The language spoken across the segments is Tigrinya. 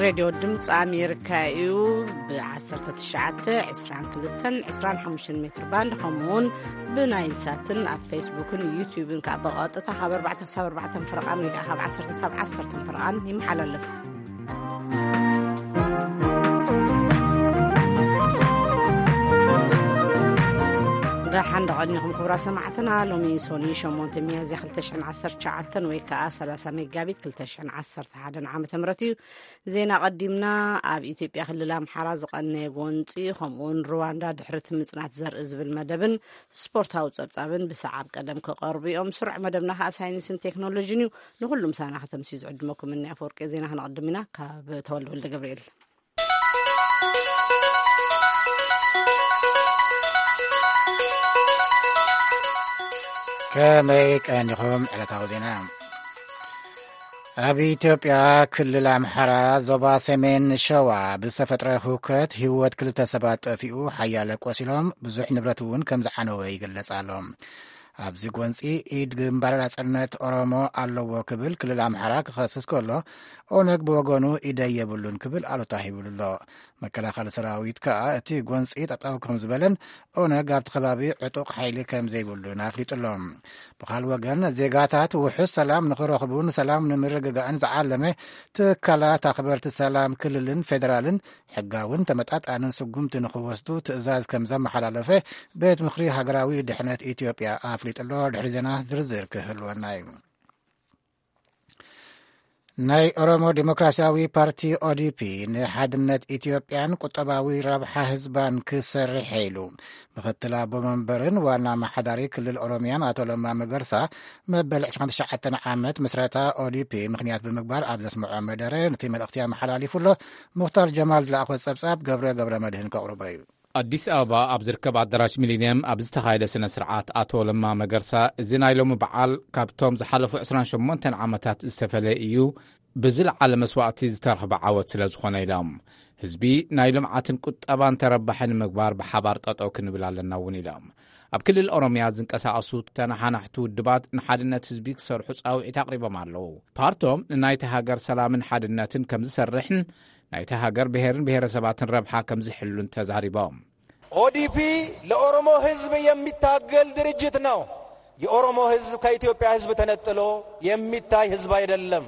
ሬድዮ ድምፂ ኣሜሪካ እዩ። ብ19፣ 22፣ 25 ሜትር ባንድ፣ ከምኡ እውን ብናይል ሳትን ኣብ ፌስቡክን ዩቲዩብን ከዓ ብቐጥታ ካብ ኣርባዕተ ክሳብ ኣርባዕተ ፍርቓን ወይ ከዓ ካብ ዓሰርተ ክሳብ ዓሰርተ ፍርቓን ይመሓላለፍ። ደሓን ደቐኒኹም ክቡራት ሰማዕትና። ሎሚ ሶኒ ሸሞንተ ሚያዝያ ክልተ ሽሕን ዓሰርተ ትሽዓተን ወይ ከዓ ሰላሳ መጋቢት ክልተ ሽሕን ዓሰርተ ሓደን ዓመተ ምህረት እዩ። ዜና ቀዲምና። ኣብ ኢትዮጵያ ክልል ኣምሓራ ዝቐነየ ጎንፂ፣ ከምኡውን ሩዋንዳ ድሕሪ እቲ ምጽናት ዘርኢ ዝብል መደብን ስፖርታዊ ጸብጻብን ብሰዓብ ቀደም ክቐርቡ እዮም። ስሩዕ መደብና ከዓ ሳይንስን ቴክኖሎጂን እዩ። ንኹሉ ምሳና ከተምስዩ ዝዕድመኩም እኒ ኣፈወርቂ ዜና ክነቐድም ኢና። ካብ ተወልደ ወልደ ገብርኤል። ከመይ ቀኒኹም? ዕለታዊ ዜና። ኣብ ኢትዮጵያ ክልል ኣምሓራ ዞባ ሰሜን ሸዋ ብዝተፈጥረ ህውከት ህይወት ክልተ ሰባት ጠፊኡ፣ ሓያለ ቆሲሎም፣ ብዙሕ ንብረት እውን ከም ዝዓነወ ይግለጽ ኣሎ። ኣብዚ ጎንፂ ኢድ ግንባር ናጽነት ኦሮሞ ኣለዎ ክብል ክልል ኣምሓራ ክኸስስ ከሎ፣ ኦነግ ብወገኑ ኢደይ የብሉን ክብል ኣሉታ ሂብሉ ኣሎ። መከላኸሊ ሰራዊት ከኣ እቲ ጎንፂ ጠጠው ከም ዝበለን ኦነግ ኣብቲ ከባቢ ዕጡቕ ሓይሊ ከም ዘይብሉን ኣፍሊጡ ኣሎ። ብኻል ወገን፣ ዜጋታት ውሑስ ሰላም ንኽረኽቡን ሰላም ንምርግጋእን ዝዓለመ ትካላት ኣኽበርቲ ሰላም ክልልን ፌደራልን ሕጋውን ተመጣጣንን ስጉምቲ ንኽወስዱ ትእዛዝ ከም ዘመሓላለፈ ቤት ምኽሪ ሃገራዊ ድሕነት ኢትዮጵያ ኣፍሊጡ ኣሎ። ድሕሪ ዜና ዝርዝር ክህልወና እዩ። ናይ ኦሮሞ ዲሞክራሲያዊ ፓርቲ፣ ኦዲፒ፣ ንሓድነት ኢትዮጵያን ቁጠባዊ ረብሓ ህዝባን ክሰርሕ ኢሉ። ምኽትል ኣቦ መንበርን ዋና ኣመሓዳሪ ክልል ኦሮሚያን ኣቶ ለማ መገርሳ፣ መበል ዕስራን ትሽዓተን ዓመት ምስረታ ኦዲፒ ምኽንያት ብምግባር ኣብ ዘስምዖ መደረ ነቲ መልእኽቲ ኣመሓላሊፉ ኣሎ። ሙኽታር ጀማል ዝለኣኾ ጸብጻብ ገብረ ገብረ መድህን ከቕርቦ እዩ። ኣዲስ ኣበባ ኣብ ዝርከብ ኣዳራሽ ሚሊንየም ኣብ ዝተኻየደ ስነ ስርዓት፣ ኣቶ ለማ መገርሳ፣ እዚ ናይ ሎሚ በዓል ካብቶም ዝሓለፉ ዕስራን ሸሞንተን ዓመታት ዝተፈለየ እዩ፣ ብዝለዓለ መስዋእቲ ዝተረኽበ ዓወት ስለ ዝኾነ ኢሎም። ህዝቢ ናይ ልምዓትን ቁጠባን ተረባሒ ንምግባር ብሓባር ጠጠው ክንብል ኣለና እውን ኢሎም። ኣብ ክልል ኦሮሚያ ዝንቀሳቐሱ ተነሓናሕቲ ውድባት ንሓድነት ህዝቢ ክሰርሑ ፃውዒት ኣቕሪቦም ኣለዉ። ፓርቶም ንናይቲ ሃገር ሰላምን ሓድነትን ከም ዝሰርሕን ናይቲ ሃገር ብሔርን ብሔረሰባትን ረብሓ ከም ዝሕሉን ተዛሪቦም። ኦዲፒ ለኦሮሞ ህዝብ የሚታገል ድርጅት ነው። የኦሮሞ ህዝብ ከኢትዮጵያ ህዝብ ተነጥሎ የሚታይ ህዝብ አይደለም።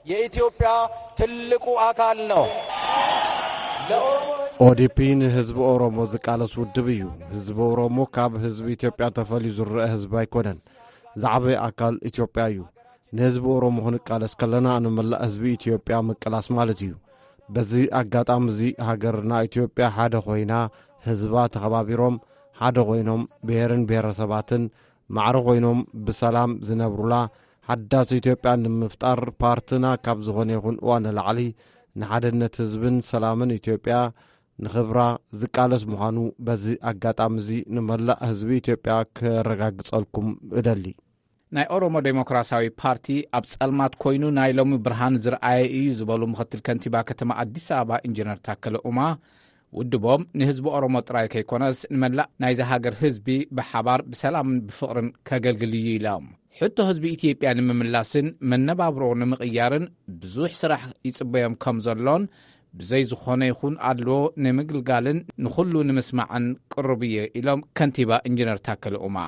የኢትዮጵያ ትልቁ አካል ነው። ለኦሮሞ ህዝብ ኦዲፒ ንህዝቢ ኦሮሞ ዝቃለስ ውድብ እዩ። ህዝቢ ኦሮሞ ካብ ህዝቢ ኢትዮጵያ ተፈልዩ ዝረአ ህዝቢ ኣይኮነን። ዝዓበየ ኣካል ኢትዮጵያ እዩ። ንህዝቢ ኦሮሞ ክንቃለስ ከለና ንመላእ ህዝቢ ኢትዮጵያ ምቅላስ ማለት እዩ። በዚ ኣጋጣሚ እዚ ሃገርና ኢትዮጵያ ሓደ ኮይና፣ ህዝባ ተኸባቢሮም፣ ሓደ ኮይኖም፣ ብሔርን ብሔረሰባትን ማዕረ ኮይኖም ብሰላም ዝነብሩላ ሓዳስ ኢትዮጵያ ንምፍጣር ፓርትና ካብ ዝኾነ ይኹን እዋን ንላዕሊ ንሓድነት ህዝብን ሰላምን ኢትዮጵያ ንኽብራ ዝቃለስ ምዃኑ በዚ ኣጋጣሚ እዚ ንመላእ ህዝቢ ኢትዮጵያ ከረጋግጸልኩም እደሊ። ናይ ኦሮሞ ዴሞክራሲያዊ ፓርቲ ኣብ ጸልማት ኮይኑ ናይ ሎሚ ብርሃን ዝረኣየ እዩ ዝበሉ ምኽትል ከንቲባ ከተማ ኣዲስ ኣበባ ኢንጂነር ታከለ ኡማ፣ ውድቦም ንህዝቢ ኦሮሞ ጥራይ ከይኮነስ ንመላእ ናይዚ ሃገር ህዝቢ ብሓባር ብሰላምን ብፍቕርን ከገልግል እዩ ኢሎም። ሕቶ ህዝቢ ኢትዮጵያ ንምምላስን መነባብሮ ንምቕያርን ብዙሕ ስራሕ ይጽበዮም ከም ዘሎን ብዘይ ዝኾነ ይኹን ኣድልዎ ንምግልጋልን ንኹሉ ንምስማዕን ቅሩብ እየ ኢሎም ከንቲባ ኢንጂነር ታከለ ኡማ።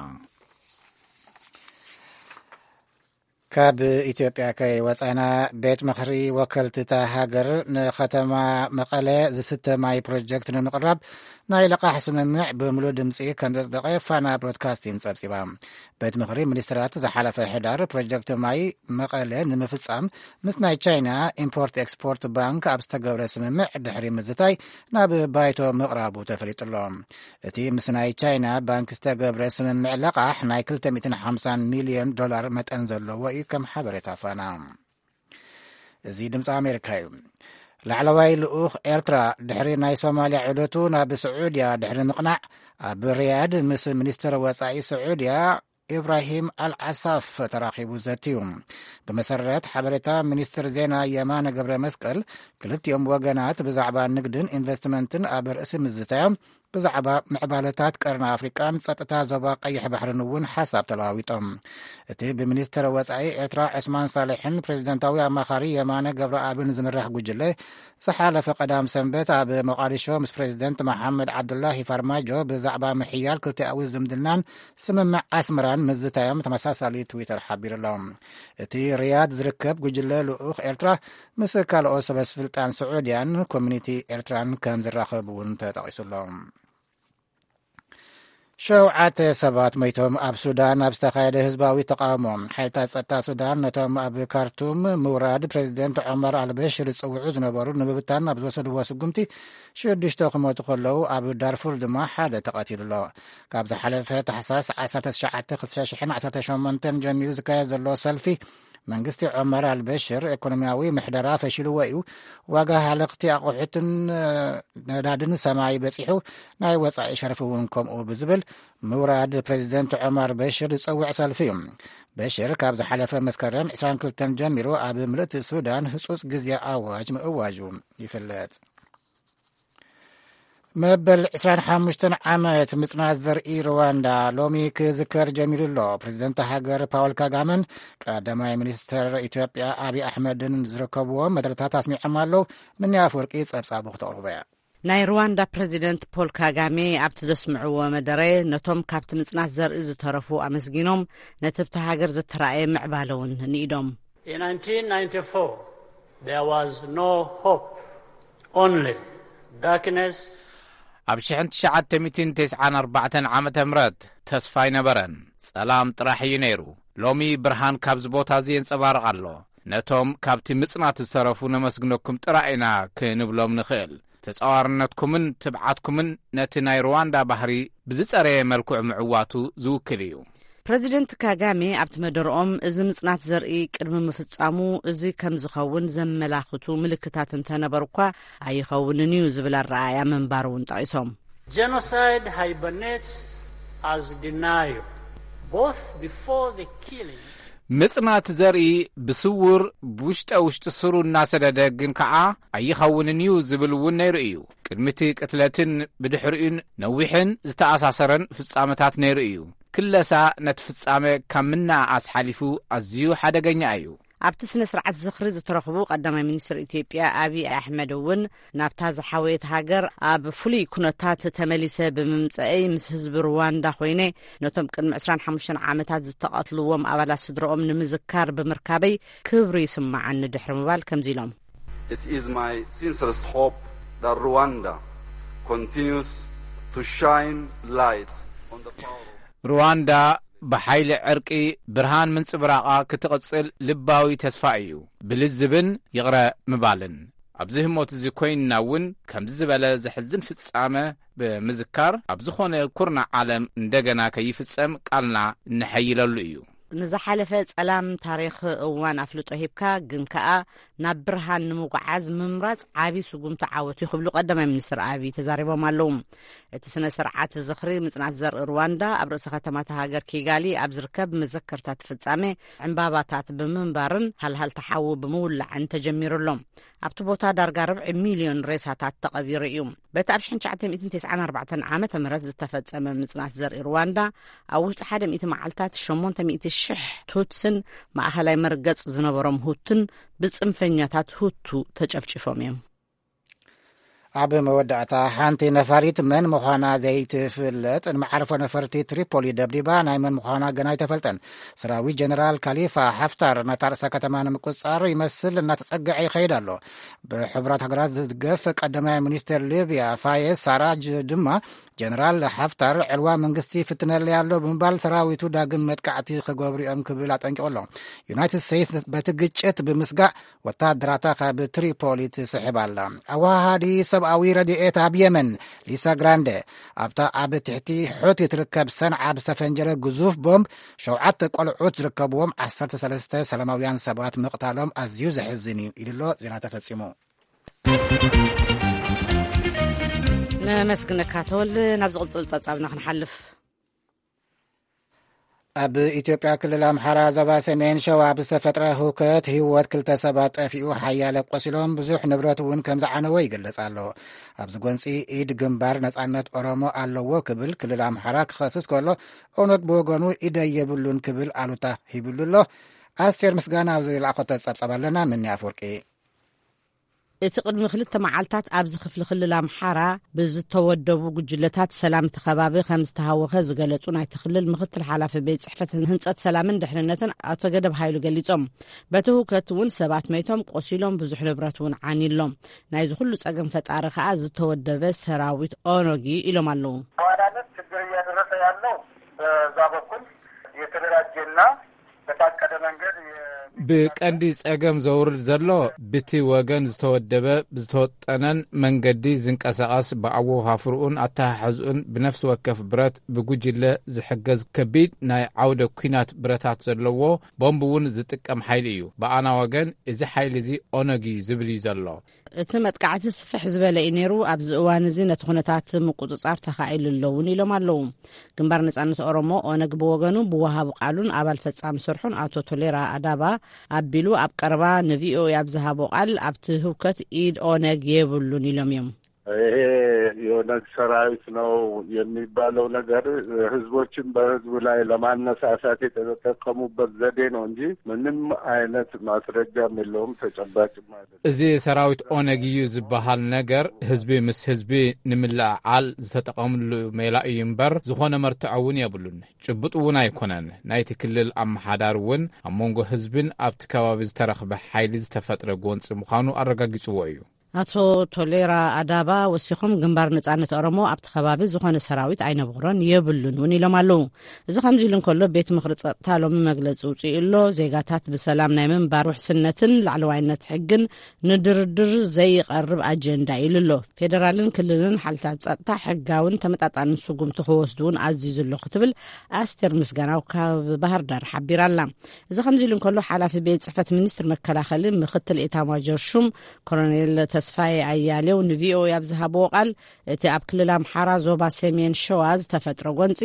ካብ ኢትዮጵያ ከይወጻና፣ ቤት ምኽሪ ወከልቲ እታ ሃገር ንከተማ መቐለ ዝስተ ማይ ፕሮጀክት ንምቕራብ ናይ ለቓሕ ስምምዕ ብምሉእ ድምፂ ከም ዘጽደቐ ፋና ብሮድካስቲንግ ጸብጺባ። ቤት ምኽሪ ሚኒስትራት ዝሓለፈ ሕዳር ፕሮጀክት ማይ መቐለ ንምፍጻም ምስ ናይ ቻይና ኢምፖርት ኤክስፖርት ባንክ ኣብ ዝተገብረ ስምምዕ ድሕሪ ምዝታይ ናብ ባይቶ ምቕራቡ ተፈሊጡ ኣሎ። እቲ ምስ ናይ ቻይና ባንክ ዝተገብረ ስምምዕ ለቓሕ ናይ ክልተ ሚእትን ሓምሳን ሚልዮን ዶላር መጠን ዘለዎ እዩ፣ ከም ሓበሬታ ፋና። እዚ ድምፂ ኣሜሪካ እዩ። ላዕለዋይ ልኡኽ ኤርትራ ድሕሪ ናይ ሶማልያ ዑደቱ ናብ ስዑድያ ድሕሪ ምቕናዕ፣ ኣብ ሪያድ ምስ ሚኒስትር ወጻኢ ስዑድያ ኢብራሂም ኣልዓሳፍ ተራኺቡ ዘትዩ። ብመሰረት ሓበሬታ ሚኒስትር ዜና የማነ ገብረ መስቀል፣ ክልቲኦም ወገናት ብዛዕባ ንግድን ኢንቨስትመንትን ኣብ ርእሲ ምዝታዮም፣ ብዛዕባ ምዕባለታት ቀርኒ ኣፍሪቃን ጸጥታ ዞባ ቀይሕ ባሕርን እውን ሓሳብ ተለዋዊጦም። እቲ ብሚኒስትር ወጻኢ ኤርትራ ዑስማን ሳልሕን ፕሬዚደንታዊ ኣማኻሪ የማነ ገብረኣብን ዝምራሕ ጉጅለ ዝሓለፈ ቀዳም ሰንበት ኣብ ሞቓዲሾ ምስ ፕሬዚደንት መሓመድ ዓብዱላሂ ፋርማጆ ብዛዕባ ምሕያል ክልቲኣዊ ዝምድናን ስምምዕ ኣስመራን ምዝታዮም ተመሳሳሊ ትዊተር ሓቢሩ ኣሎ። እቲ ሪያድ ዝርከብ ጉጅለ ልኡኽ ኤርትራ ምስ ካልኦት ሰበስልጣን ስዑድያን ኮሚኒቲ ኤርትራን ከም ዝራኸብ እውን ተጠቒሱ ኣሎ። ሸውዓተ ሰባት ሞይቶም ኣብ ሱዳን ኣብ ዝተኻየደ ህዝባዊ ተቓውሞ። ሓይልታት ጸጥታ ሱዳን ነቶም ኣብ ካርቱም ምውራድ ፕሬዚደንት ዑመር ኣልበሽር ዝጽውዑ ዝነበሩ ንምብታን ኣብ ዝወሰድዎ ስጉምቲ ሽዱሽተ ክሞቱ ከለዉ ኣብ ዳርፉር ድማ ሓደ ተቐቲሉ ኣሎ። ካብ ዝሓለፈ ታሕሳስ ዓሰርተ ትሽዓተ ክልተ ሽሕን ዓሰርተ ሸሞንተን ጀሚሩ ዝካየድ ዘሎ ሰልፊ መንግስቲ ዑመር ኣልበሽር ኢኮኖሚያዊ ምሕደራ ፈሺልዎ እዩ፣ ዋጋ ሃለኽቲ ኣቑሑትን ነዳድን ሰማይ በጺሑ ናይ ወጻኢ ሸርፊ እውን ከምኡ ብዝብል ምውራድ ፕሬዚደንት ዑመር በሽር ዝጸውዕ ሰልፊ እዩ። በሽር ካብ ዝሓለፈ መስከረም ዕስራን ክልተን ጀሚሩ ኣብ ምልእቲ ሱዳን ህጹጽ ግዜ ኣዋጅ ምእዋጁ ይፍለጥ። መበል ዕስራን ሓሙሽተን ዓመት ምጽናት ዘርኢ ሩዋንዳ ሎሚ ክዝከር ጀሚሩ ኣሎ። ፕሬዚደንት ሃገር ፓውል ካጋመን ቀዳማይ ሚኒስትር ኢትዮጵያ ኣብይ ኣሕመድን ዝርከብዎም መደረታት ኣስሚዖም ኣለዉ። ምንያ ኣፈወርቂ ጸብጻቡ ክተቕርቦ እያ። ናይ ሩዋንዳ ፕሬዚደንት ፖል ካጋሜ ኣብቲ ዘስምዕዎ መደረ ነቶም ካብቲ ምጽናት ዘርኢ ዝተረፉ ኣመስጊኖም ነቲ ብቲ ሃገር ዝተራእየ ምዕባለ እውን ንኢዶም። In nineteen ninety-four, there was no hope, only darkness. ኣብ ሽሕን ትሽዓተ ሚእትን ተስዓን ኣርባዕተን ዓመተ ምህረት ተስፋ ኣይነበረን፣ ጸላም ጥራሕ እዩ ነይሩ። ሎሚ ብርሃን ካብዚ ቦታ እዚ የንጸባርቕ ኣሎ። ነቶም ካብቲ ምጽናት ዝተረፉ ነመስግነኩም ጥራይ ኢና ክንብሎም ንኽእል። ተጻዋርነትኩምን ትብዓትኩምን ነቲ ናይ ሩዋንዳ ባህሪ ብዝጸረየ መልክዑ ምዕዋቱ ዝውክል እዩ። ፕረዚደንት ካጋሜ ኣብቲ መደርኦም፣ እዚ ምጽናት ዘርኢ ቅድሚ ምፍጻሙ እዚ ከም ዝኸውን ዘመላኽቱ ምልክታት እንተነበሩ እኳ ኣይኸውንን እዩ ዝብል ኣረኣእያ ምንባሩ እውን ጠቒሶም። Genocide hibernates as denial, both before the killing. ምጽናት ዘርኢ ብስውር ብውሽጠ ውሽጢ ስሩ እናሰደደ ግን ከኣ ኣይኸውንን እዩ ዝብል እውን ነይሩ እዩ። ቅድሚቲ ቅትለትን ብድሕሪኡን ነዊሕን ዝተኣሳሰረን ፍጻመታት ነይሩ እዩ። ክለሳ ነቲ ፍጻመ ካብ ምንኣኣስ ሓሊፉ ኣዝዩ ሓደገኛ እዩ። ኣብቲ ስነ ስርዓት ዝኽሪ ዝተረኽቡ ቀዳማይ ሚኒስትር ኢትዮጵያ ኣብይ ኣሕመድ እውን ናብታ ዝሓወየት ሃገር ኣብ ፍሉይ ኩነታት ተመሊሰ ብምምፀአይ ምስ ህዝቢ ሩዋንዳ ኮይነ ነቶም ቅድሚ ዕስራን ሓሙሽተን ዓመታት ዝተቐትልዎም ኣባላት ስድረኦም ንምዝካር ብምርካበይ ክብሪ ይስማዓኒ ድሕሪ ምባል ከምዚ ኢሎም። It is my sincerest hope that Rwanda continues to shine light on the power of ሩዋንዳ ብሓይሊ ዕርቂ ብርሃን ምንጽብራቓ ክትቕጽል ልባዊ ተስፋ እዩ። ብልዝብን ይቕረ ምባልን ኣብዚ ህሞት እዚ ኮይንና እውን ከምዚ ዝበለ ዘሕዝን ፍጻመ ብምዝካር ኣብ ዝኾነ ኩርናዕ ዓለም እንደገና ከይፍጸም ቃልና እንሐይለሉ እዩ። ንዝሓለፈ ጸላም ታሪኽ እዋን ኣፍልጦ ሂብካ ግን ከኣ ናብ ብርሃን ንምጉዓዝ ምምራጽ ዓቢ ስጉምቲ ዓወት እዩ ክብሉ ቀዳማይ ሚኒስትር ኣብይ ተዛሪቦም ኣለዉ። እቲ ስነ ስርዓት ዝኽሪ ምጽናት ዘርኢ ሩዋንዳ ኣብ ርእሰ ከተማታ ሃገር ኪጋሊ ኣብ ዝርከብ መዘከርታ እቲ ፍጻሜ ዕምባባታት ብምንባርን ሃልሃልቲ ሓዊ ብምውላዕን ተጀሚሩ ኣሎ። ኣብቲ ቦታ ዳርጋ ርብዒ ሚልዮን ሬሳታት ተቐቢሩ እዩ። በቲ ኣብ ሽሕን ትሽዓተ ሚእትን ተስዓን ኣርባዕተን ዓመተ ምህረት ዝተፈጸመ ምጽናት ዘርኢ ሩዋንዳ ኣብ ውሽጢ ሓደ ሚእቲ መዓልታት ሸሞንተ ሚእቲ ሽሕ ቱትስን ማእኸላይ መርገጽ ዝነበሮም ሁቱን ብጽንፈኛታት ሁቱ ተጨፍጭፎም እዮም። ኣብ መወዳእታ ሓንቲ ነፋሪት መን ምዃና ዘይትፍለጥ ንመዓርፎ ነፈርቲ ትሪፖሊ ደብዲባ ናይ መን ምዃና ገና ኣይተፈልጠን። ሰራዊት ጀነራል ካሊፋ ሓፍታር ነታ ርእሰ ከተማ ንምቁጽጻር ይመስል እናተጸግዐ ይኸይድ ኣሎ። ብሕቡራት ሃገራት ዝድገፍ ቀዳማይ ሚኒስትር ሊብያ ፋየዝ ሳራጅ ድማ ጀነራል ሓፍታር ዕልዋ መንግስቲ ይፍትነለይ ኣሎ ብምባል ሰራዊቱ ዳግም መጥቃዕቲ ክገብሩ እዮም ክብል ኣጠንቂቑ ኣሎ። ዩናይትድ ስቴትስ በቲ ግጭት ብምስጋእ ወታደራታ ካብ ትሪፖሊ ትስሕብ ኣላ። ኣወሃሃዲ ሰብኣዊ ረድኤት ኣብ የመን ሊሳ ግራንደ ኣብታ ኣብ ትሕቲ ሑቲ ትርከብ ሰንዓ ብዝተፈንጀረ ግዙፍ ቦምብ ሸውዓተ ቆልዑት ዝርከብዎም ዓሰርተ ሰለስተ ሰላማውያን ሰባት ምቕታሎም ኣዝዩ ዘሕዝን እዩ ኢሉ ኣሎ። ዜና ተፈጺሙ። ነመስግነካ ተወልደ። ናብ ዝቕጽል ጸብጻብና ክንሓልፍ። ኣብ ኢትዮጵያ ክልል ኣምሓራ ዞባ ሰሜን ሸዋ ብዝተፈጥረ ህውከት ህይወት ክልተ ሰባት ጠፊኡ፣ ሓያለ ቆሲሎም፣ ብዙሕ ንብረት እውን ከም ዝዓነወ ይገልጽ ኣሎ። ኣብዚ ጎንጺ ኢድ ግንባር ነጻነት ኦሮሞ ኣለዎ ክብል ክልል ኣምሓራ ክኸስስ ከሎ፣ ኦነግ ብወገኑ ኢደይ የብሉን ክብል ኣሉታ ሂብሉ ኣሎ። ኣስቴር ምስጋና ኣብዚ ዝለኣኸቶ ጸብጸብ ኣለና። ምኒ ኣፍወርቂ። እቲ ቅድሚ ክልተ መዓልታት ኣብዚ ክፍሊ ክልል ኣምሓራ ብዝተወደቡ ጉጅለታት ሰላም እቲ ከባቢ ከም ዝተሃወኸ ዝገለጹ ናይቲ ክልል ምክትል ሓላፊ ቤት ጽሕፈት ህንጸት ሰላምን ድሕንነትን ኣቶ ገደብ ሃይሉ ገሊጾም። በቲ ህውከት እውን ሰባት መይቶም፣ ቆሲሎም፣ ብዙሕ ንብረት እውን ዓንሎም። ናይዚ ኩሉ ጸገም ፈጣሪ ከኣ ዝተወደበ ሰራዊት ኦነግ እዩ ኢሎም ኣለዉ። በዋናነት ችግር እያደረሰ ያለው በዛ በኩል የተደራጀና በታቀደ መንገድ የ- ብቀንዲ ጸገም ዘውርድ ዘሎ ብቲ ወገን ዝተወደበ፣ ብዝተወጠነን መንገዲ ዝንቀሳቐስ፣ ብኣወፋፍርኡን ኣተሓሕዝኡን ብነፍሲ ወከፍ ብረት ብጉጅለ ዝሕገዝ ከቢድ ናይ ዓውደ ኲናት ብረታት ዘለዎ ቦምብ እውን ዝጥቀም ሓይሊ እዩ። ብኣና ወገን እዚ ሓይሊ እዚ ኦነግ እዩ ዝብል እዩ ዘሎ። እቲ መጥቃዕቲ ስፍሕ ዝበለ እዩ ነይሩ። ኣብዚ እዋን እዚ ነቲ ኩነታት ምቁጽጻር ተኻኢሉ ኣለውን ኢሎም ኣለዉ። ግንባር ነጻነት ኦሮሞ ኦነግ ብወገኑ ብወሃቢ ቃሉን ኣባል ፈጻሚ ስርሑን ኣቶ ቶሌራ ኣዳባ ኣቢሉ ኣብ ቀረባ ንቪኦኤ ኣብ ዝሃቦ ቃል ኣብቲ ህውከት ኢድ ኦነግ የብሉን ኢሎም እዮም። ይሄ የኦነግ ሰራዊት ነው የሚባለው ነገር ህዝቦችን በህዝቡ ላይ ለማነሳሳት የተጠቀሙበት ዘዴ ነው እንጂ ምንም አይነት ማስረጃም የለውም፣ ተጨባጭም አይደለም። እዚ ሰራዊት ኦነግ እዩ ዝበሃል ነገር ህዝቢ ምስ ህዝቢ ንምልዕዓል ዝተጠቐምሉ ሜላ እዩ እምበር ዝኾነ መርትዖ እውን የብሉን። ጭቡጥ እውን ኣይኮነን። ናይቲ ክልል ኣመሓዳሪ እውን ኣብ መንጎ ህዝብን ኣብቲ ከባቢ ዝተረኽበ ሓይሊ ዝተፈጥረ ጎንፂ ምዃኑ ኣረጋጊፅዎ እዩ። ኣቶ ቶሌራ ኣዳባ ወሲኾም ግንባር ነጻነት ኦሮሞ ኣብቲ ከባቢ ዝኾነ ሰራዊት ኣይነበሮን የብሉን እውን ኢሎም ኣለዉ። እዚ ከምዚ ኢሉ እንከሎ ቤት ምኽሪ ጸጥታ ሎሚ መግለጺ ውፅኡ ኣሎ። ዜጋታት ብሰላም ናይ ምንባር ውሕስነትን ላዕለዋይነት ሕግን ንድርድር ዘይቐርብ ኣጀንዳ ኢሉ ኣሎ። ፌደራልን ክልልን ሓይልታት ጸጥታ ሕጋውን ተመጣጣንን ስጉምቲ ክወስዱ እውን ኣዚዙ ኣሎ ክትብል ኣስቴር ምስጋናው ካብ ባህር ዳር ሓቢራ ኣላ። እዚ ከምዚ ኢሉ እንከሎ ሓላፊ ቤት ጽሕፈት ሚኒስትር መከላኸሊ ምክትል ኤታማጆር ሹም ኮሎኔል ተስፋዬ ኣያሌው ንቪኦኤ ኣብ ዝሃብዎ ቃል፣ እቲ ኣብ ክልል ኣምሓራ ዞባ ሰሜን ሸዋ ዝተፈጥረ ጎንጺ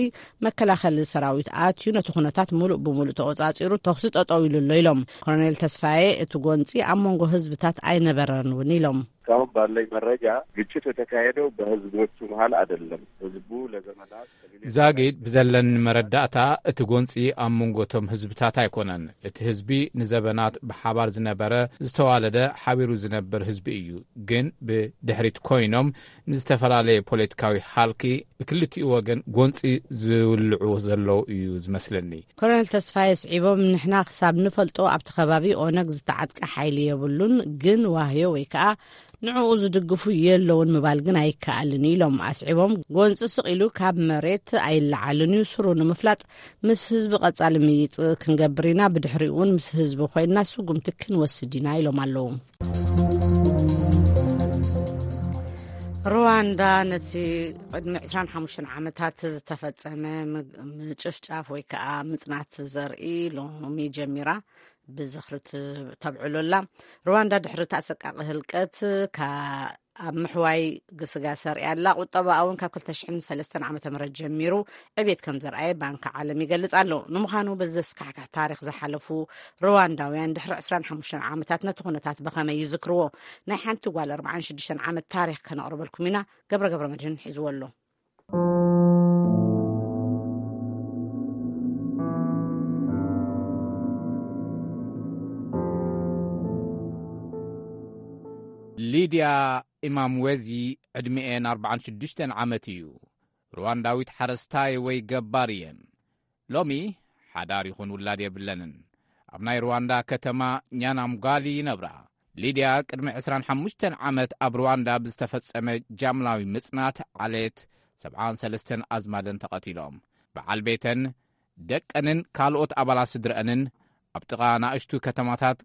መከላኸሊ ሰራዊት ኣትዩ ነቲ ኩነታት ሙሉእ ብሙሉእ ተቆጻጺሩ ተኹሲ ጠጠው ኢሉ ኣሎ ኢሎም። ኮሎኔል ተስፋዬ እቲ ጎንጺ ኣብ መንጎ ህዝብታት ኣይነበረን እውን ኢሎም። እስካሁን ባለኝ መረጃ ግጭት የተካሄደው በህዝቦቹ መሃል አይደለም። ህዝቡ ለዘመናት ዛጊድ ብዘለኒ መረዳእታ እቲ ጎንፂ ኣብ መንጎ እቶም ህዝብታት ኣይኮነን። እቲ ህዝቢ ንዘበናት ብሓባር ዝነበረ ዝተዋለደ ሓቢሩ ዝነብር ህዝቢ እዩ። ግን ብድሕሪት ኮይኖም ንዝተፈላለየ ፖለቲካዊ ሃልኪ ብክልቲኡ ወገን ጎንፂ ዝውልዑ ዘለዉ እዩ ዝመስለኒ። ኮሎኔል ተስፋዬ ስዒቦም ንሕና ክሳብ ንፈልጦ ኣብቲ ከባቢ ኦነግ ዝተዓጥቀ ሓይሊ የብሉን፣ ግን ዋህዮ ወይ ከዓ ንዕኡ ዝድግፉ የለውን ምባል ግን ኣይከኣልን ኢሎም ኣስዒቦም። ጎንፂ ስቕ ኢሉ ካብ መሬት ኣይለዓልን እዩ። ስሩ ንምፍላጥ ምስ ህዝቢ ቀፃሊ ምይጥ ክንገብር ኢና። ብድሕሪኡ እውን ምስ ህዝቢ ኮይንና ስጉምቲ ክንወስድ ኢና ኢሎም ኣለዉ። ሩዋንዳ ነቲ ቅድሚ ዕስራን ሓሙሽተን ዓመታት ዝተፈጸመ ምጭፍጫፍ ወይ ከዓ ምጽናት ዘርኢ ሎሚ ጀሚራ ብዝኽሪ ተብዕሎ ኣላ። ሩዋንዳ ድሕሪ እቲ ኣሰቃቂ ህልቀት ካብ ምሕዋይ ግስጋሰ ኣርእያ ኣላ። ቁጠባኣ እውን ካብ ክልተ ሽሕን ሰለስተን ዓመተ ምህረት ጀሚሩ ዕቤት ከም ዘርኣየ ባንኪ ዓለም ይገልጽ ኣሎ። ንምዃኑ በዚ ዘስካሕክሕ ታሪኽ ዝሓለፉ ሩዋንዳውያን ድሕሪ ዕስራን ሓሙሽተን ዓመታት ነቲ ኩነታት ብኸመይ ይዝክርዎ? ናይ ሓንቲ ጓል ኣርባዓን ሽዱሽተን ዓመት ታሪኽ ከነቕርበልኩም ኢና። ገብረ ገብረ መድህን ሒዝዎ ኣሎ። ሊድያ ኢማምወዚ ዕድሚኤን ኣርባዓን ሽዱሽተን ዓመት እዩ። ሩዋንዳዊት ሓረስታይ ወይ ገባር እየን። ሎሚ ሓዳር ይኹን ውላድ የብለንን። ኣብ ናይ ሩዋንዳ ከተማ ኛናምጓሊ ይነብራ። ሊድያ ቅድሚ ዕስራን ሓሙሽተን ዓመት ኣብ ሩዋንዳ ብዝተፈጸመ ጃምላዊ ምጽናት ዓሌት ሰብዓን ሰለስተን ኣዝማደን ተቐቲሎም። በዓል ቤተን፣ ደቀንን ካልኦት ኣባላት ስድረአንን ኣብ ጥቓ ናእሽቱ ከተማታት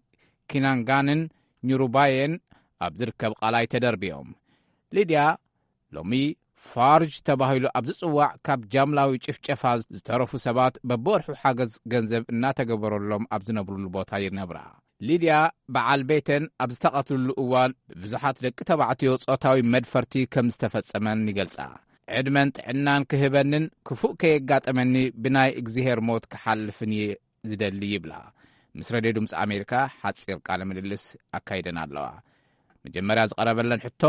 ኪናንጋንን ኙሩባየን ኣብ ዝርከብ ቓላይ ተደርብዮም። ሊድያ ሎሚ ፋርጅ ተባሂሉ ኣብ ዝጽዋዕ ካብ ጃምላዊ ጭፍጨፋ ዝተረፉ ሰባት በብወርሑ ሓገዝ ገንዘብ እናተገበረሎም ኣብ ዝነብሩሉ ቦታ ይነብራ። ሊድያ በዓል ቤተን ኣብ ዝተቐትልሉ እዋን ብብዙሓት ደቂ ተባዕትዮ ጾታዊ መድፈርቲ ከም ዝተፈጸመን ይገልጻ። ዕድመን ጥዕናን ክህበንን ክፉእ ከየጋጠመኒ ብናይ እግዚኣብሔር ሞት ክሓልፍን እየ ዝደሊ ይብላ። ምስ ረድዮ ድምፂ ኣሜሪካ ሓፂር ቃለ ምልልስ ኣካይደን ኣለዋ። መጀመርያ ዝቐረበለን ሕቶ፣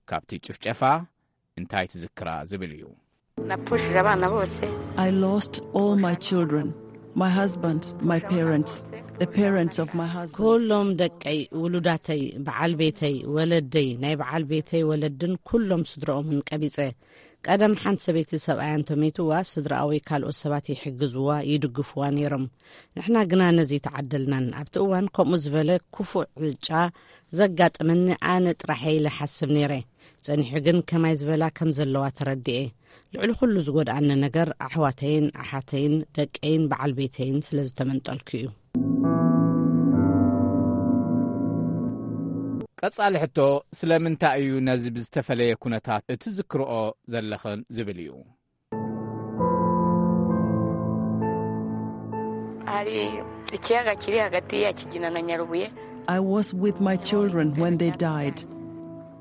ካብቲ ጭፍጨፋ እንታይ ትዝክራ ዝብል እዩ። Napfushije abana bose. I lost all my children, my husband, my parents, the parents of my husband. ኩሎም ደቀይ፣ ውሉዳተይ፣ በዓል ቤተይ፣ ወለደይ፣ ናይ በዓል ቤተይ ወለድን ኩሎም ስድረኦምን ቀቢጸ። ቀደም ሓንቲ ሰበይቲ ሰብኣያ እንተመይትዋ፣ ስድራኣ ወይ ካልኦት ሰባት ይሕግዝዋ፣ ይድግፍዋ ነይሮም። ንሕና ግና ነዚ ተዓደልናን። ኣብቲ እዋን ከምኡ ዝበለ ክፉእ ዕጫ ዘጋጠመኒ ኣነ ጥራሕ ኢለ ሓስብ ነይረ። ጸኒሑ ግን ከማይ ዝበላ ከም ዘለዋ ተረድኤ። ልዕሊ ኩሉ ዝጎድኣኒ ነገር ኣሕዋተይን ኣሓተይን ደቀይን በዓል ቤተይን ስለ ዝተመንጠልኩ እዩ። ቀጻሊ ሕቶ፣ ስለምንታይ እዩ ነዚ ብዝተፈለየ ኩነታት እትዝክርኦ ዘለኽን ዝብል እዩ። Hari ikiyaga kiri hagati ya Kigina na Nyarubuye. I was with my children when they died.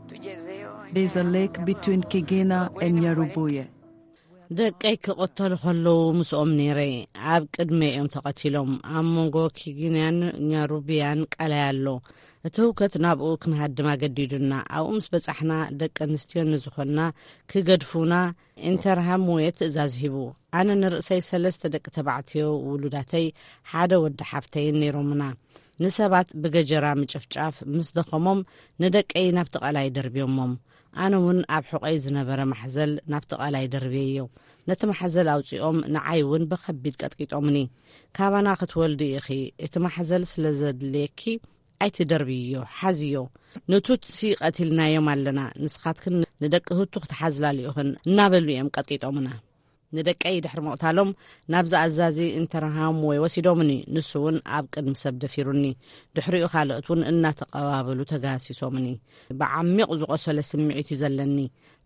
Tugezeyo. There's a lake between Kigina and Nyarubuye. ደቀይ ክቕተሉ ከለዉ ምስኦም ነይረ። ኣብ ቅድመ እዮም ተቐቲሎም። ኣብ መንጎ ኪጊንያን ኛሩብያን ቀላይ ኣሎ። እቲ ህውከት ናብኡ ክንሃድም ኣገዲዱና። ኣብኡ ምስ በጻሕና ደቂ ኣንስትዮ ንዝኾንና ክገድፉና ኢንተርሃም ሙየ ትእዛዝ ሂቡ። ኣነ ንርእሰይ ሰለስተ ደቂ ተባዕትዮ ውሉዳተይ ሓደ ወዲ ሓፍተይን ነይሮምና። ንሰባት ብገጀራ ምጭፍጫፍ ምስ ደኸሞም ንደቀይ ናብቲ ቀላይ ደርብዮሞም። ኣነ እውን ኣብ ሕቖይ ዝነበረ ማሕዘል ናብቲ ቀላይ ደርብየዮ። ነቲ ማሕዘል ኣውጺኦም ንዓይ እውን ብኸቢድ ቀጥቂጦምኒ። ካባና ክትወልዲ ኢኺ፣ እቲ ማሕዘል ስለ ዘድልየኪ ኣይትደርብይዮ፣ ሓዝዮ። ንቱትሲ ቀቲልናዮም ኣለና፣ ንስኻትክን ንደቂ ህቱ ክትሓዝላ ልኢኽን እናበሉ እዮም ቀጥቂጦምና። ንደቀይ ድሕሪ ምቕታሎም ናብዚ ኣዛዚ ኢንተርሃም ወይ ወሲዶምኒ። ንሱ እውን ኣብ ቅድሚ ሰብ ደፊሩኒ። ድሕሪኡ ካልኦት እውን እናተቐባበሉ ተጋሲሶምኒ። ብዓሚቕ ዝቖሰለ ስምዒት እዩ ዘለኒ።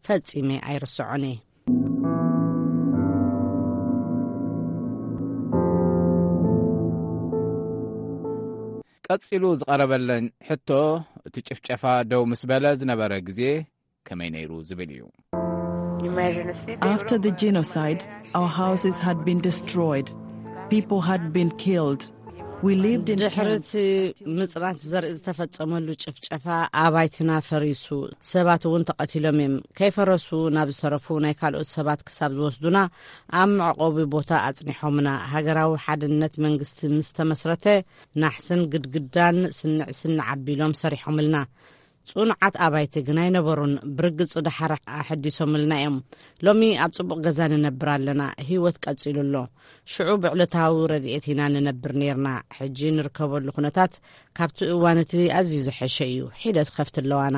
ፈጺመ ኣይርስዖን እየ። ቀጺሉ ዝቐረበለን ሕቶ፣ እቲ ጭፍጨፋ ደው ምስ በለ ዝነበረ ግዜ ከመይ ነይሩ ዝብል እዩ። Nyuma ya jenoside. After the genocide, our houses had been destroyed. People had been killed. We lived in ድሕሪ tents. እቲ ምጽናት ዘርኢ ዝተፈጸመሉ ጭፍጨፋ ኣባይትና ፈሪሱ፣ ሰባት እውን ተቐቲሎም እዮም። ከይፈረሱ ናብ ዝተረፉ ናይ ካልኦት ሰባት ክሳብ ዝወስዱና ኣብ መዕቆቢ ቦታ ኣጽኒሖምና። ሃገራዊ ሓድነት መንግስቲ ምስ ተመስረተ፣ ናሕስን ግድግዳን ስንዕ ስንዕ ኣቢሎም ሰሪሖምልና። ጽኑዓት ኣባይቲ ግን ኣይነበሩን። ብርግጽ ደሓር ኣሐዲሶምልና እዮም። ሎሚ ኣብ ጽቡቕ ገዛ ንነብር ኣለና። ህይወት ቀጺሉ ኣሎ። ሽዑ ብዕለታዊ ረድኤት ኢና ንነብር ነይርና። ሕጂ ንርከበሉ ኩነታት ካብቲ እዋን እቲ ኣዝዩ ዝሐሸ እዩ። ሒደት ከፍቲ ኣለዋና።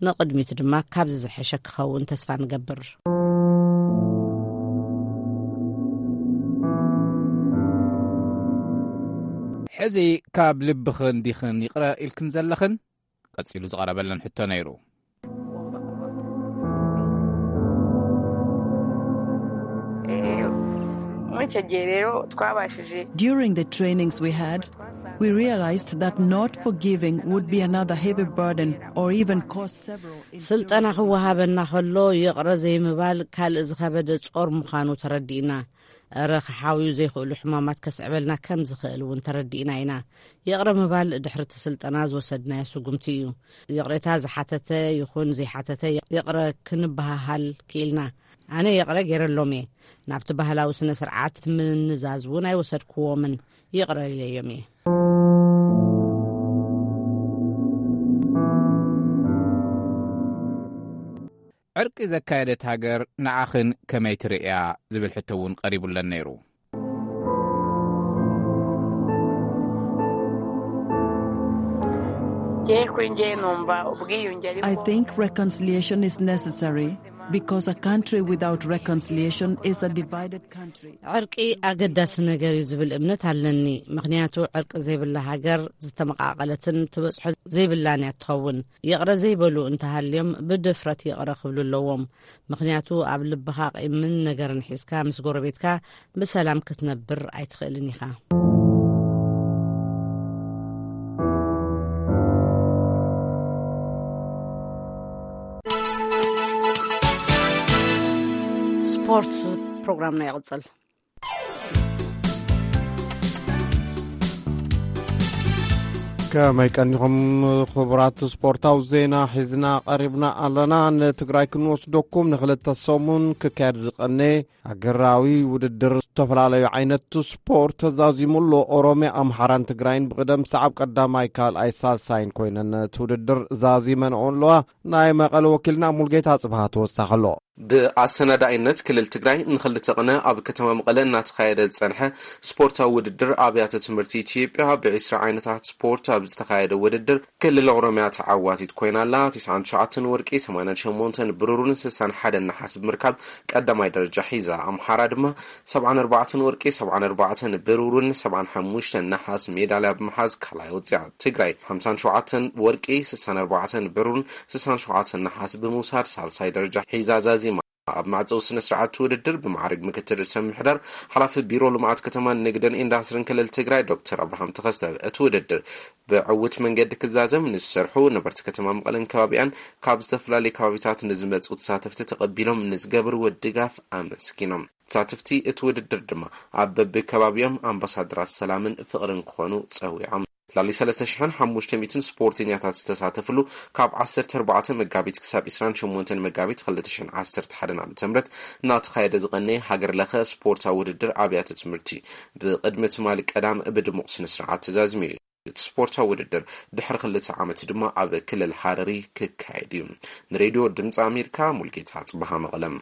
ንቕድሚት ድማ ካብዚ ዝሐሸ ክኸውን ተስፋ ንገብር። ሕዚ ካብ ልብኽን ዲኽን ይቕረ ኢልክን ዘለኽን? ቀጺሉ ዝቐረበለን ሕቶ ነይሩ። Eh, muri icyo gihe rero twabashije During the trainings we had, we realized that not forgiving would be another heavy burden or even cause several. ስልጠና ክወሃበና ከሎ ይቕረ ዘይምባል ካልእ ዝኸበደ ጾር ምዃኑ ተረዲእና። እረ ክሓውዩ ዘይኽእሉ ሕማማት ከስዕበልና ከም ዝኽእል እውን ተረዲእና ኢና። ይቕረ ምባል ድሕሪ እቲ ስልጠና ዝወሰድናዮ ስጉምቲ እዩ። ይቕሬታ ዝሓተተ ይኹን ዘይሓተተ ይቕረ ክንበሃሃል ክኢልና። ኣነ ይቕረ ገይረሎም እየ። ናብቲ ባህላዊ ስነ ስርዓት ምንዛዝ እውን ኣይወሰድክዎምን። ይቕረ ኢለዮም እየ። ዕርቂ ዘካየደት ሃገር ንዓኽን ከመይ ትርእያ ዝብል ሕቶ እውን ቀሪቡለን ነይሩ። Njye kuri njye numva ubwiyunge ari I think reconciliation is necessary because a country without reconciliation is a divided country. ዕርቂ ኣገዳሲ ነገር እዩ ዝብል እምነት ኣለኒ። ምኽንያቱ ዕርቂ ዘይብላ ሃገር ዝተመቓቐለትን ትበጽሖ ዘይብላን እያ ትኸውን። ይቕረ ዘይበሉ እንተሃልዮም ብድፍረት ይቕረ ክብሉ ኣለዎም። ምኽንያቱ ኣብ ልብኻ ቂምን ነገርን ሒዝካ ምስ ጎረቤትካ ብሰላም ክትነብር ኣይትኽእልን ኢኻ። ፕሮግራምና ይቕጽል። ከመይ ቀኒኹም ክቡራት? ስፖርታዊ ዜና ሒዝና ቀሪብና ኣለና። ንትግራይ ክንወስደኩም፣ ንክልተ ሰሙን ክካየድ ዝቐነ ሃገራዊ ውድድር ዝተፈላለዩ ዓይነት ስፖርት ተዛዚሙ ኣሎ። ኦሮሚያ፣ ኣምሓራን ትግራይን ብቕደም ሰዓብ ቀዳማይ፣ ካልኣይ፣ ሳልሳይን ኮይነን እቲ ውድድር ዛዚመንኦ ኣለዋ። ናይ መቐለ ወኪልና ሙልጌታ ጽብሃ ተወሳኺ ኣሎ። ብኣሰናዳኢነት ክልል ትግራይ ንክልተ ቅነ ኣብ ከተማ መቐለ እናተኻየደ ዝጸንሐ ስፖርታዊ ውድድር ኣብያተ ትምህርቲ ኢትዮጵያ፣ ብዒስራ ዓይነታት ስፖርት ኣብ ዝተኻየደ ውድድር ክልል ኦሮሚያ ተዓዋቲት ኮይና ኣላ። ትስዓን ትሽዓተን ወርቂ፣ ሰማንያን ሸሞንተን ብሩርን ስሳን ሓደን ነሓስ ብምርካብ ቀዳማይ ደረጃ ሒዛ። ኣምሓራ ድማ ሰብዓን ኣርባዕተን ወርቂ፣ ሰብዓን ኣርባዕተን ብሩርን ሰብዓን ሓሙሽተን ነሓስ ሜዳልያ ብምሓዝ ካልኣይ ወፂኣ። ትግራይ ሓምሳን ሸውዓተን ወርቂ፣ ስሳን ኣርባዕተን ብሩርን ስሳን ሸውዓተን ነሓስ ብምውሳድ ሳልሳይ ደረጃ ሒዛ ዛዚማ። ኣብ መዕፀዊ ስነ ስርዓት ውድድር ብማዕርግ ምክትል ርእሰ ምምሕዳር ሓላፊ ቢሮ ልምዓት ከተማን ንግድን ኢንዳስትሪን ክልል ትግራይ ዶክተር ኣብርሃም ተኸስተ፣ እቲ ውድድር ብዕውት መንገዲ ክዛዘም ንዝሰርሑ ነበርቲ ከተማ መቐለን ከባቢኣን ካብ ዝተፈላለዩ ከባቢታት ንዝመፁ ተሳተፍቲ ተቐቢሎም ንዝገብርዎ ድጋፍ ኣመስጊኖም። ተሳተፍቲ እቲ ውድድር ድማ ኣብ በብከባቢኦም ኣምባሳደራት ሰላምን ፍቕርን ክኾኑ ጸዊዖም። ላሊ ሰለስተ ሽሕን ሓሙሽተ ሚእትን ስፖርተኛታት ዝተሳተፍሉ፣ ካብ ዓሰርተ ኣርባዕተ መጋቢት ክሳብ ዕስራን ሸሞንተን መጋቢት ክልተ ሽሕን ዓሰርተ ሓደን ዓመተ ምህረት እናተኻየደ ዝቐነየ ሃገር ለኸ ስፖርታዊ ውድድር ኣብያተ ትምህርቲ ብቕድሚ ትማሊ ቀዳም ብድሙቕ ስነ ስርዓት ተዛዚሙ እዩ። እቲ ስፖርታዊ ውድድር ድሕሪ ክልተ ዓመት ድማ ኣብ ክልል ሃረሪ ክካየድ እዩ። ንሬድዮ ድምፂ ኣሜሪካ፣ ሙልጌታ ጽበሃ፣ መቐለም።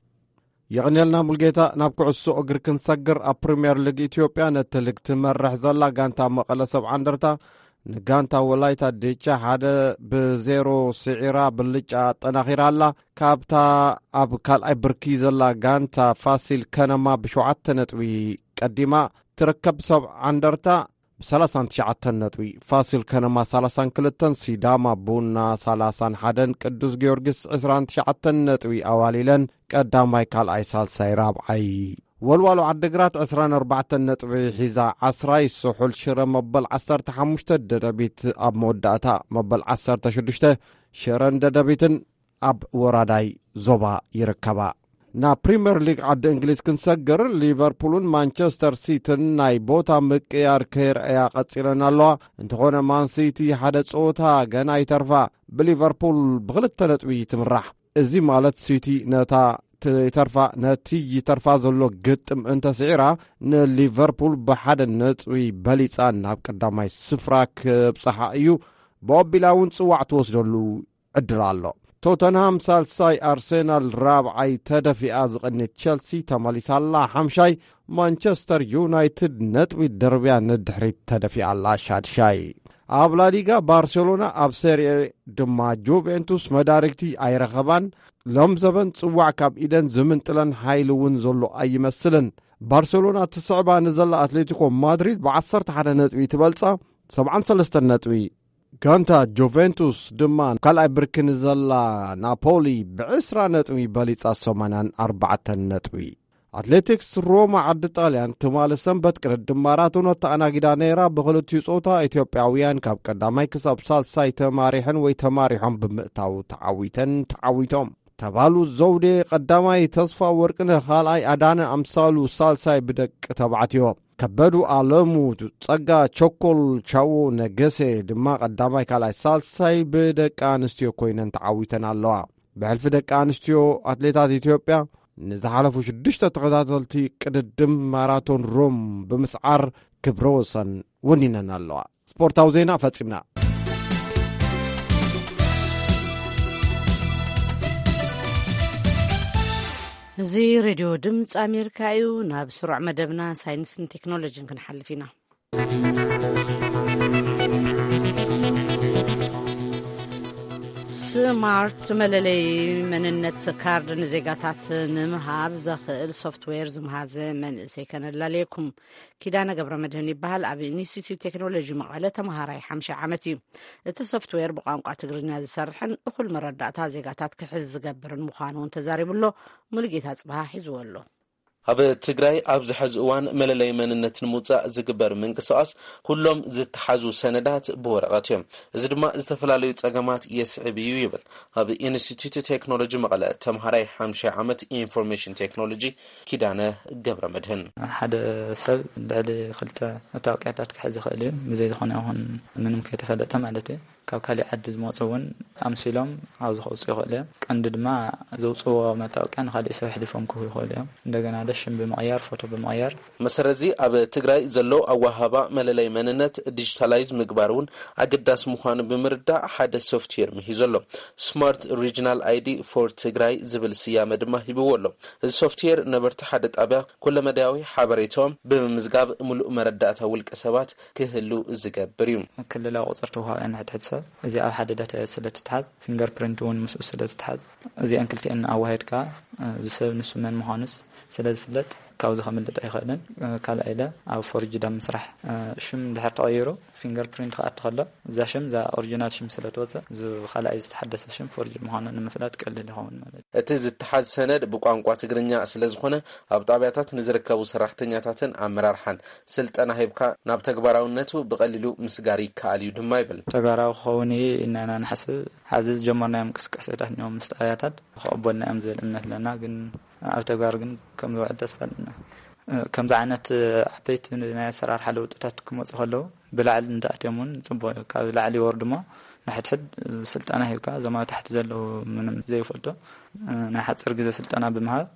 የቐንየልና ሙልጌታ። ናብ ኩዕሶ እግሪ ክንሰግር፣ ኣብ ፕሪምየር ሊግ ኢትዮጵያ ነቲ ሊግ ትመርሕ ዘላ ጋንታ መቐለ ሰብዓ እንደርታ ንጋንታ ወላይታ ዲቻ ሓደ ብዜሮ ስዒራ ብልጫ ኣጠናኺራ ኣላ። ካብታ ኣብ ካልኣይ ብርኪ ዘላ ጋንታ ፋሲል ከነማ ብሸውዓተ ነጥቢ ቀዲማ ትርከብ። ሰብዓ እንደርታ ብሰላሳን ትሽዓተን ነጥቢ፣ ፋሲል ከነማ ሰላሳን ክልተን፣ ሲዳማ ቡና ሰላሳን ሓደን፣ ቅዱስ ጊዮርጊስ ዕስራን ትሽዓተን ነጥቢ ኣዋሊለን ቀዳማይ፣ ካልኣይ፣ ሳልሳይ፣ ራብዓይ። ወልዋሎ ዓዲግራት ዕስራን ኣርባዕተን ነጥቢ ሒዛ ዓስራይ፣ ስሑል ሽረ መበል ዓሰርተ ሓሙሽተ፣ ደደቢት ኣብ መወዳእታ መበል ዓሰርተ ሽዱሽተ። ሽረን ደደቢትን ኣብ ወራዳይ ዞባ ይርከባ። ናብ ፕሪምየር ሊግ ዓዲ እንግሊዝ ክንሰግር፣ ሊቨርፑልን ማንቸስተር ሲትን ናይ ቦታ ምቅያር ከይረኣያ ቀጺለን ኣለዋ። እንተኾነ ማን ሲቲ ሓደ ጸወታ ገና ይተርፋ፣ ብሊቨርፑል ብኽልተ ነጥቢ ትምራሕ። እዚ ማለት ሲቲ ነታ ትተርፋ፣ ነቲ ይተርፋ ዘሎ ግጥም እንተስዒራ፣ ንሊቨርፑል ብሓደ ነጥቢ በሊጻ ናብ ቀዳማይ ስፍራ ክብጽሓ እዩ። ብኣቢላ እውን ጽዋዕ ትወስደሉ ዕድል ኣሎ። ቶተንሃም ሳልሳይ፣ ኣርሴናል ራብዓይ፣ ተደፊኣ ዝቐንየት ቸልሲ ተመሊሳ ኣላ ሓምሻይ፣ ማንቸስተር ዩናይትድ ነጥቢ ደርብያ ንድሕሪት ተደፊኣ ኣላ ሻድሻይ። ኣብ ላሊጋ ባርሴሎና፣ ኣብ ሴሪኤ ድማ ጁቬንቱስ መዳርግቲ ኣይረኸባን። ሎም ዘበን ጽዋዕ ካብ ኢደን ዝምንጥለን ሓይሊ እውን ዘሎ ኣይመስልን። ባርሴሎና ትስዕባ ንዘላ ኣትሌቲኮ ማድሪድ ብዓሰርተ ሓደ ነጥቢ ትበልጻ፣ ሰብዓን ሰለስተን ነጥቢ። ጋንታ ጁቬንቱስ ድማ ካልኣይ ብርኪ ንዘላ ናፖሊ ብዕስራ ነጥቢ በሊጻ፣ ሰማንያን ኣርባዕተን ነጥቢ። ኣትሌቲክስ ሮማ ዓዲ ጣልያን ትማሊ ሰንበት ቅድድም ማራቶን ኣተኣናጊዳ ነይራ። ብኽልቲኡ ጾታ ኢትዮጵያውያን ካብ ቀዳማይ ክሳብ ሳልሳይ ተማሪሐን ወይ ተማሪሖም ብምእታው ተዓዊተን፣ ተዓዊቶም። ተባሉ ዘውዴ ቀዳማይ፣ ተስፋ ወርቅነህ ካልኣይ፣ ኣዳነ ኣምሳሉ ሳልሳይ ብደቂ ተባዕትዮ። ከበዱ ኣለሙ፣ ጸጋ ቸኮል፣ ቻዎ ነገሴ ድማ ቀዳማይ፣ ካልኣይ፣ ሳልሳይ ብደቂ ኣንስትዮ ኮይነን ተዓዊተን ኣለዋ። ብሕልፊ ደቂ ኣንስትዮ ኣትሌታት ኢትዮጵያ ንዝሓለፉ ሽዱሽተ ተኸታተልቲ ቅድድም ማራቶን ሮም ብምስዓር ክብረ ወሰን ወኒነን ኣለዋ። ስፖርታዊ ዜና ፈጺምና። እዚ ሬድዮ ድምፂ ኣሜሪካ እዩ። ናብ ስሩዕ መደብና ሳይንስን ቴክኖሎጂን ክንሓልፍ ኢና። ስማርት መለለይ መንነት ካርድ ንዜጋታት ንምሃብ ዘኽእል ሶፍትዌር ዝምሃዘ መንእሰይ ከነላልየኩም። ኪዳነ ገብረ መድህን ይበሃል። ኣብ ኢንስቲትዩት ቴክኖሎጂ መቐለ ተምሃራይ ሓምሻይ ዓመት እዩ። እቲ ሶፍትዌር ብቋንቋ ትግርኛ ዝሰርሕን እኹል መረዳእታ ዜጋታት ክሕዝ ዝገብርን ምዃኑ እውን ተዛሪቡ ኣሎ። ሙሉጌታ ጽብሃ ሒዝዎ ኣሎ። ኣብ ትግራይ ኣብዚ ሕዚ እዋን መለለይ መንነት ንምውፃእ ዝግበር ምንቅስቃስ ኩሎም ዝተሓዙ ሰነዳት ብወረቐት እዮም። እዚ ድማ ዝተፈላለዩ ጸገማት የስዕብ እዩ ይብል ኣብ ኢንስቲትዩት ቴክኖሎጂ መቐለ ተምሃራይ ሓምሻይ ዓመት ኢንፎርሜሽን ቴክኖሎጂ ኪዳነ ገብረ መድህን። ሓደ ሰብ ልዕሊ ክልተ መታወቂያታት ክሕዝ ይኽእል እዩ፣ ብዘይ ዝኾነ ይኹን ምንም ከይተፈለጠ ማለት እዩ። ካብ ካሊእ ዓዲ ዝመፁ እውን ኣምሲሎም ኣብዚ ከውፅኡ ይኽእሉ እዮም። ቀንዲ ድማ ዘውፅዎ መታወቂያ ንካሊእ ሰብ ኣሕሊፎም ክህቡ ይኽእሉ እዮም። እንደገና ደሽም ብምቕያር፣ ፎቶ ብምቕያር። መሰረት እዚ ኣብ ትግራይ ዘሎ ኣወሃህባ መለለይ መንነት ዲጂታላይዝ ምግባር እውን ኣገዳሲ ምዃኑ ብምርዳእ ሓደ ሶፍትዌር ምሂዙ ኣሎ። ስማርት ሪጅናል ኣይዲ ፎር ትግራይ ዝብል ስያመ ድማ ሂብዎ ኣሎ። እዚ ሶፍትዌር ነበርቲ ሓደ ጣብያ ኩለመዳያዊ ሓበሬታኦም ብምምዝጋብ ምሉእ መረዳእታ ውልቀ ሰባት ክህሉ ዝገብር እዩ። ክልላዊ ቁፅሪ ተውሃብ ንሕድሕድ ሰብ እዚ ኣብ ሓደ ዳታ ስለ ትትሓዝ፣ ፊንገር ፕሪንት እውን ምስኡ ስለ ዝትሓዝ፣ እዚኣን ክልቲኣን ኣዋሂድካ፣ እዚ ሰብ ንሱ መን ምዃኑስ ስለ ዝፍለጥ ካብዚ ከምልጥ ኣይኽእልን። ካልኣይ ኢለ ኣብ ፎርጅድ ኣብ ምስራሕ፣ ሽም ድሕር ተቐይሩ ፊንገር ፕሪንት ክኣቲ ከሎ እዛ ሽም እዛ ኦሪጂናል ሽም ስለ ትወፅእ፣ እዚ ካልኣይ ዝተሓደሰ ሽም ፎርጅድ ምዃኑ ንምፍላጥ ቀሊል ይኸውን ማለት እዩ። እቲ ዝተሓዝ ሰነድ ብቋንቋ ትግርኛ ስለ ዝኾነ ኣብ ጣብያታት ንዝርከቡ ሰራሕተኛታትን ኣመራርሓን ስልጠና ሂብካ ናብ ተግባራውነቱ ብቐሊሉ ምስጋር ይከኣል እዩ ድማ ይብል። ተግባራዊ ክኸውን እዩ ኢልና ኢና ንሓስብ። ሐዚ ዝጀመርናዮም እንቅስቃሴታት እኒኦም ምስ ጣብያታት ክቕበልና እዮም ዝብል እምነት ኣለና። ግን ኣብ ተግባር ግን ከም ዝውዕል ተስፋ ኣለና። ከምዚ ዓይነት ዓበይቲ ናይ ኣሰራርሓ ለውጥታት ክመፁ ከለዉ ብላዕሊ እንተኣትዮም እውን ፅቡቅ እዩ። ካብ ላዕሊ ይወርዱ እሞ ንሕድሕድ ስልጠና ሂብካ እዞም ኣብ ታሕቲ ዘለዉ ምንም ዘይፈልጡ ናይ ሓፂር ግዜ ስልጠና ብምሃብ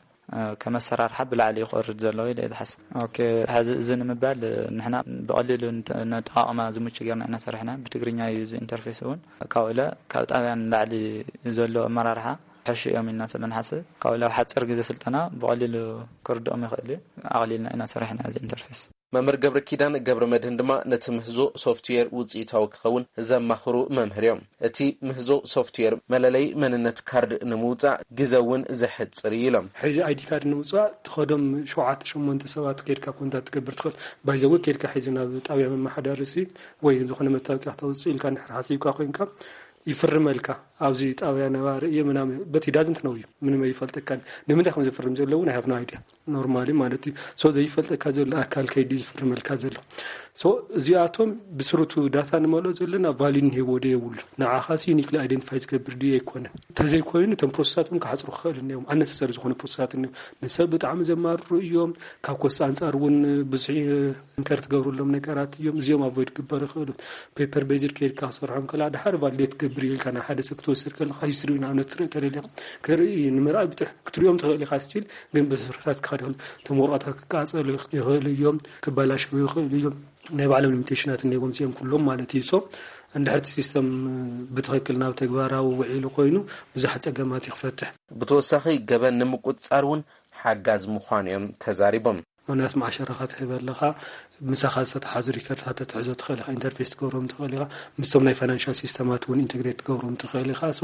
ከም ኣሰራርሓ ብላዕሊ ይኸርድ ዘሎ ኢለ እየ ዝሓስብ። ኦኬ፣ ሕዚ እዚ ንምባል ንሕና ብቐሊሉ ንተ-፣ ነጠቓቕማ ዝምቹ ጌርና ኢና ሰሪሕና። ብትግርኛ እዩ እዚ ኢንተርፌስ እውን። ካብኡ ኢለ ካብ ጣብያ ንላዕሊ ዘሎ ኣመራርሓ ሕሹ እዮም ኢልና ስለ ንሓስብ፣ ካብኡ ኢለ ኣብ ሓፂር ግዜ ስልጠና ብቐሊሉ ክርድኦም ይኽእል እዩ። ኣቕሊልና ኢና ሰሪሕና እዚ ኢንተርፌስ። መምህር ገብረ ኪዳን ገብረ መድህን ድማ ነቲ ምህዞ ሶፍትዌር ውፅኢታዊ ክኸውን ዘማኽሩ መምህር እዮም። እቲ ምህዞ ሶፍትዌር መለለይ መንነት ካርድ ንምውፃእ ግዘ እውን ዘሕፅር እዩ ኢሎም። ሕዚ ኣይዲ ካርድ ንምውፃእ ትኸዶም ሸውዓተ ሸሞንተ ሰባት ከይድካ ኮንታክት ትገብር ትኽእል። ባይዘወ ከይድካ ሕዚ ናብ ጣብያ መመሓዳሪ ሲ ወይ ዝኾነ መታወቂያ ክተውፅእ ኢልካ እንድሕር ሓሲብካ ኮይንካ ይፍርመልካ። ኣብዚ ጣብያ ነባሪ እየ ምናምን፣ but he doesn't know you፣ ምንም ኣይፈልጠካን። ንምንታይ ከም ዝፍርም ዘሎ እውን I have no idea። ኖርማሊ ማለት እዩ። ሶ ዘይፈልጠካ ዘሎ ኣካል ከይዲ ዝፍርመልካ ዘሎ። ሶ እዚኣቶም ብስሩቱ ዳታ ንመልኦ ዘለና ቫሊድ እንሄዎ ዶ የብሉ፣ ንዓኻሲ ዩኒክሊ ኣይደንቲፋይ ዝገብር ድዩ ኣይኮነን። እንተዘይኮይኑ እቶም ፕሮሰሳት እውን ክሓፅሩ ክኽእል እኒኦም፣ ኣነሰሰሪ ዝኾነ ፕሮሰሳት እኒኦም። ንሰብ ብጣዕሚ ዘማርሩ እዮም። ካብ ኮስት ኣንፃር እውን ብዙሕ ኢንከር ትገብሩሎም ነገራት እዮም። እዚኦም ኣቮይድ ክግበሩ ይኽእሉ። ፔፐር ቤዝድ ከይድካ ክሰርሖም ከላ ድሓር ቫሊዴት ትገብር እዩ ኢልካ ናብ ሓደ ሰብ ክትወስድ ከለካ ሂስትሪ ንኣብነት ትርኢ ተደሊኻ ክትርኢ ንምርኣይ ብትሕ ክትሪኦም ትኽእል ኢኻ። ስቲል ግን ብስርሕታት ክኸደሉ እቶም ወረቐታት ክቃፀሉ ይኽእሉ እዮም፣ ክበላሸው ይኽእሉ እዮም። ናይ ባዕሎም ሊሚቴሽናት እኒዎም እዚኦም ኩሎም ማለት እዩ። ሶ እንድሕር እቲ ሲስተም ብትኽክል ናብ ተግባራዊ ውዒሉ ኮይኑ ብዙሕ ፀገማት ይኽፈትሕ። ብተወሳኺ ገበን ንምቁፅፃር እውን ሓጋዝ ምዃኑ እዮም ተዛሪቦም። ምክንያቱ መዓሸራኻ ትህብ ኣለኻ፣ ምሳኻ ዝተተሓዙ ሪከርድታት ተትሕዞ ትኽእል ኢኻ፣ ኢንተርፌስ ትገብሮም ትኽእል ኢኻ፣ ምስቶም ናይ ፋይናንሻል ሲስተማት እውን ኢንተግሬት ትገብሮም ትኽእል ኢኻ። ሶ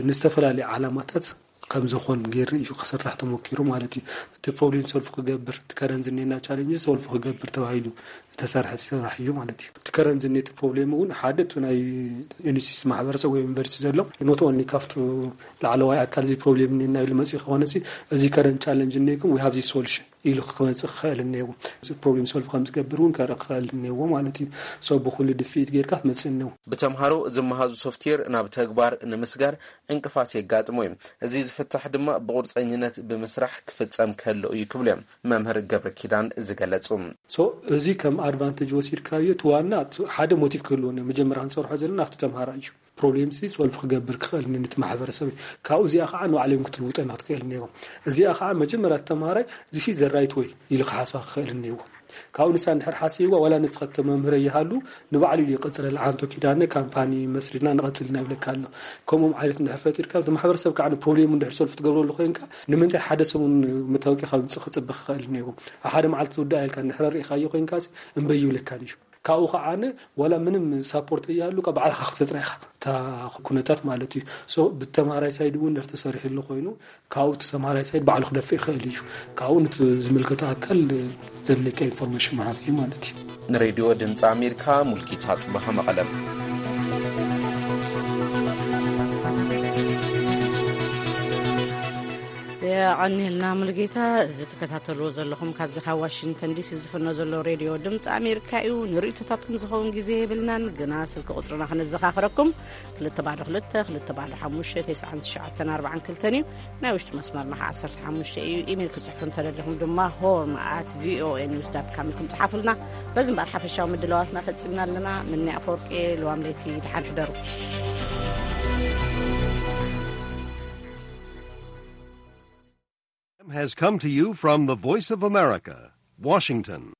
ንዝተፈላለዩ ዓላማታት ከም ዝኾን ገይሩ እዩ ክስራሕ ተሞኪሩ ማለት እዩ። እቲ ፕሮብሌም ሶልፍ ክገብር፣ እቲ ከረንት ዝኔና ቻሌንጅ ሶልፍ ክገብር ተባሂሉ ዝተሰርሐ ስራሕ እዩ ማለት እዩ። እቲ ከረንት ዝኔ እቲ ፕሮብሌም እውን ሓደ እቲ ናይ ዩኒቨርሲቲ ማሕበረሰብ ወይ ዩኒቨርሲቲ ዘሎ ኖት ኦንሊ ካብቱ ላዕለዋይ ኣካል እዚ ፕሮብሌም እኒና ኢሉ መፅኡ ከኾነ እዚ ከረንት ቻለንጅ እኒኩም we have this solution ኢሉ ክመፅእ ክኽእል እኒዎ። ፕሮብሌም ሶልቭ ከም ዝገብር እውን ከርኢ ክኽእል እኒዎ ማለት እዩ። ሶ ብኩሉ ድፍኢት ጌርካ ትመፅእ እኒዎ። ብተምሃሮ ዝመሃዙ ሶፍትዌር ናብ ተግባር ንምስጋር ዕንቅፋት የጋጥሞ እዩ። እዚ ዝፍታሕ ድማ ብቁርፀኝነት ብምስራሕ ክፍፀም ከሎ እዩ ክብሉ እዮም መምህር ገብረ ኪዳን ዝገለፁ። ሶ እዚ ከም ኣድቫንቴጅ ወሲድካዮ እቲ ዋና ሓደ ሞቲቭ ክህልዎ እኒዎ። መጀመርያ ክንሰርሖ ዘለና ኣብቲ ተምሃራይ እዩ። ፕሮብሌም ሲ ሶልቭ ክገብር ክኽእል ነቲ ማሕበረሰብ እዩ። ካብኡ እዚኣ ከዓ ንባዕሎም ክትልውጠና ክትክእል እኒዎ። እዚኣ ከዓ መጀመርያ ተምሃራይ this is the right way ኢሉ ክሓስባ ክኽእል እኒዎ። ካብኡ ንሳ እንድሕር ሓሲብዋ ዋላ ንስኻ ተመምህረ ይሃሉ ንባዕሉ እዩ ይቐፅለል። ዓንቶ ኪዳነ ካምፓኒ መስሪትና ንቐፅልና ይብለካ ኣሎ። ከምኦም ዓይነት እንድሕር ፈጢርካ እቲ ማሕበረሰብ ከዓ ንፕሮብሌሙ እንድሕር ሶልቭ ትገብረሉ ኮይንካ ንምንታይ ሓደ ሰሙን መታወቂያ ካብ ምፅእ ክፅበ ክኽእል እኒዎ። ኣብ ሓደ መዓልቲ ትውዳእ ኢልካ እንድሕር ርኢኻዮ ኮይንካ እምበይ ይብለካን እዩ። ካብኡ ከዓ ዋላ ምንም ሳፖርት እያሉ ካብ ባዕልካ ክትፈጥራ ኢኻ እታ ኩነታት ማለት እዩ። ሶ ብተማራይ ሳይድ እውን እንድሕር ተሰሪሕሉ ኮይኑ ካብኡ እቲ ተማራይ ሳይድ ባዕሉ ክደፍእ ይኽእል እዩ። ካብኡ ነቲ ዝምልከቶ ኣካል ዘድልየካ ኢንፎርሜሽን ምሃብ እዩ ማለት እዩ። ንሬድዮ ድምፂ ኣሜሪካ ሙልጌታ ጽባሃ መቐለም። ኣቐኒልና ሙሉጌታ። እዚ ትከታተልዎ ዘለኹም ካብዚ ካብ ዋሽንግተን ዲሲ ዝፍኖ ዘሎ ሬድዮ ድምፂ ኣሜሪካ እዩ። ንርእይቶታትኩም ዝኸውን ግዜ የብልናን፣ ግና ስልኪ ቁፅርና ክነዘኻኽረኩም፣ ክልተ ባዶ ክልተ ክልተ ባዶ ሓሙሽተ ተስዓን ትሽዓተን ኣርባዓን ክልተን እዩ። ናይ ውሽጢ መስመርና ከዓ ዓሰርተ ሓሙሽተ እዩ። ኢሜይል ክፅሕፉ እንተደሊኹም ድማ ሆርን ኣት ቪኦኤ ኒውስ ዳት ካም ኢልኩም ፅሓፉልና። በዚ እምበኣር ሓፈሻዊ ምድላዋትና ፈፂምና ኣለና። ምኒ ኣፈወርቂ፣ ልዋም ለይቲ፣ ደሓን ሕደሩ። Has come to you from the Voice of America, Washington.